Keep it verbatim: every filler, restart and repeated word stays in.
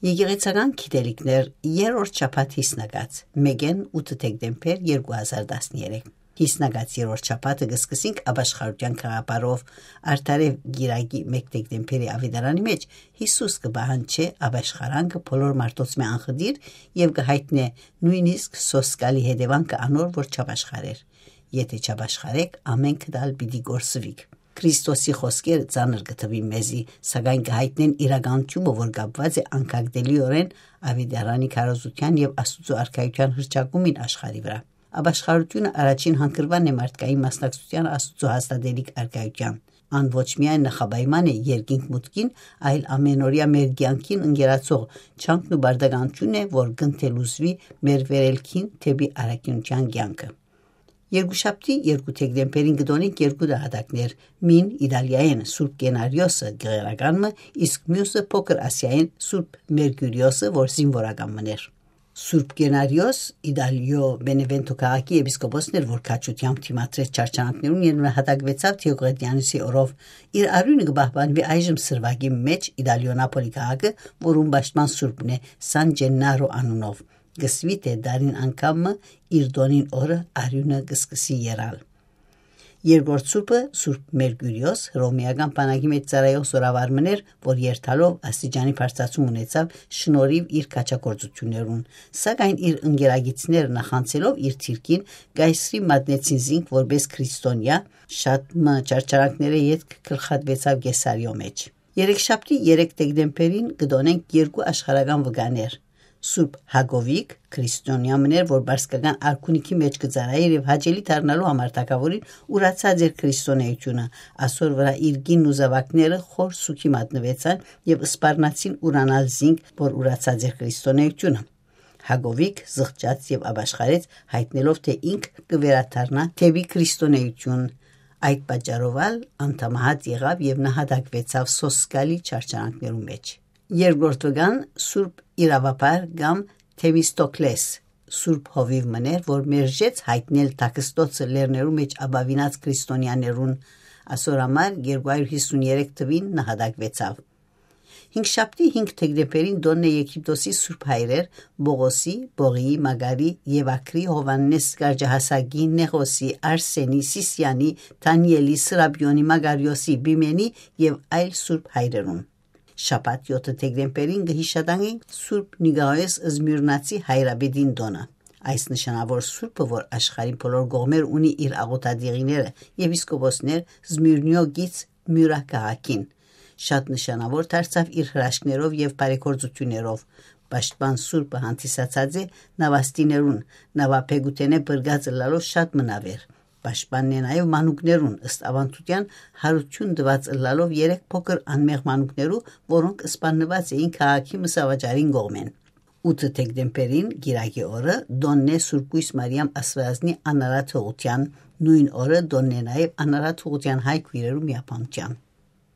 Եկեղեցական գիտելիքներ, երրորդ շաբաթ յիսնակաց, մէկէն ութ դեկտեմբեր երկու հազար տասներեք։ Յիսնակաց երրորդ շաբաթը կը սկսենք ապաշխարութեան գաղափարով։ Արդարեւ գիրագի մէկ դեկտեմբերի աւետարանի մէջ Յիսուս կը պահանջէ ապաշխարանքը բոլոր մարդոց մէ անխտիր եւ կը յայտնէ նոյնիսկ սոսկալի հետեւանքը անոր, որ չապաշխարեր։ «Եթէ չապաշխարեք, ամէնքդ ալ պիտի կորսուիք»։ Քրիստոսի խօսքերը ծանր կը թուին մեզի, սակայն կը յայտնեն իրականութիւնը, որ կապուած է անկագտելիօրէն աւետարանի քարոզութեան եւ Աստուծոյ արքայութեան հռչակումին աշխարհի վրայ։ Ապաշխարութիւնը առաջին հանգրուանն է մարդկային մասնակցութեան Աստուծոյ հաստատելիք արքայութեան։ Ան ոչ միայն նախապայման է երկինք մուտքին, այլ ամենօրեայ մեր կեանքին ընկերացող չանքն ու պարտականութիւնն է, որ կ'ընթելուզուի մեր վերելքին դէպի առաքինութեան կեանքը։ Երկուշաբթի երկու դեկտեմբերին կը տոնենք երկու նահատակներ, մին Իտալիայէն Սուրբ Կենարիոսը գեղերական մը, իսկ միւսը Փոքր Ասիայէն Սուրբ Մերկուրիոսը, որ զինուորական մըն էր։ Սուրբ Կենարիոս Իտալիոյ Բենեվենթո քաղաքի եպիսկոպոսն էր, որ քաջութեամբ դիմադրեց չարչարանքներուն եւ նահատակուեցաւ Դիոկլետիանոսի օրով։ Իր արիւնը կը պահպանուի այժմ սրուակի մէջ Իտալիոյ Նապոլի քաղաքը, որուն պաշտպան սուրբն է Սան Ճեննարո անունով։ Կ'ըսուի թէ տարին անգամ մը իր տօնին օրը արիւնը կը սկսի երալ։ Երկրորդ սուրբը, Սուրբ Մերկուրիոս, հռոմէական բանակի մէջ ծառայող զօրավար մըն էր, որ երթալով աստիճանի բարձրացում ունեցաւ շնորհիւ իր քաջագործութիւններուն, սակայն իր ընկերագիցները, նախանցելով իր դիրքին, կայսրի մատնեցին զինք որպէս քրիստոնեայ, շատ մը չարչարանքներէ ետք գլխատուեցաւ Կեսարիոյ մէջ։ Երեքշաբթի երեք դեկտեմբերին կը տոնենք երկու աշխարհական վկաներ։ Սուրբ Հակովիկ, քրիստոնեայ մըն էր, որ պարսկական արքունիքի մէջ կը ծառայէր եւ հաճելի դառնալու համար թագաւորին ուրացած էր քրիստոնէությունը, ասոր վրայ իր կինն ու զաւակները խոր սուքի մատնուեցան եւ սպառնացին ուրանալ զինք, որ ուրացած էր քրիստոնէությունը։ Հակովիկ զղջաց եւ ապաշխարեց, յայտնելով թէ ինք կը վերադառնայ դէպի քրիստոնէութիւն։ Այդ պատճառով ալ անդամահատ եղաւ եւ նահատակուեցաւ սոսկալի չարչարանքներու մէջ։ Երկրորդ վկան Սուրբ Իրաւաբար կամ Թեմիստոկլես, Սուրբ Հովիւ մըն էր, որ մերժեց յայտնել թաքստոցը լեռներու մէջ ապաւինած քրիստոնեաներուն, ասոր համար երկու հարիւր հիսուն երեք թուին նահատակուեցաւ։ Հինգշաբթի հինգ դեկտեմբերին տօնն է Եգիպտոսի սուրբ հայրեր Պողոսի, Պողիի, Մագարի, Եվակրի, Յովհաննես Կարճահասակի, Նեղոսի, Արսենի, Սիսիանի, Դանիելի, Սրապիոնի, Մագարիոսի, Պիմենի եւ այլ սուրբ հայրերուն։ Շաբաթ յոթ դեկտեմբերին կը յիշատակենք Սուրբ Նիկաղոս Զմիւրնացի հայրապետին տօնը։ Այս նշանաւոր սուրբը, որ աշխարհին բոլոր կողմեր ունի իր աղօթատեղիները, եպիսկոպոսներ Զմիւրնիոյ գիծ Միւրա քաղաքին, շատ նշանաւոր դարձաւ իր հրաշքներով եւ բարեգործութիւններով։ Պաշտպան սուրբը հանդիսացած է նավաստիներուն, նավաբեգութենէ փրկած ըլլալով շատ մը նաւեր։ Պաշտպանն է նաեւ մանուկներուն, ըստ աւանդութեան հարութիւն տուած ըլլալով երեք փոքր անմեղ մանուկներու, որոնք սպաննուած էին քաղաքի մսավաճառին կողմէն։ Ութ դեկտեմբերին, կիրակի օրը, տօնն է Սուրբ Կոյս Մարիամ Աստուածնի անարատ հղութեան, նոյն օրը տօնն է նաեւ անարատ հղութեան հայ քոյրերու միաբանութեան։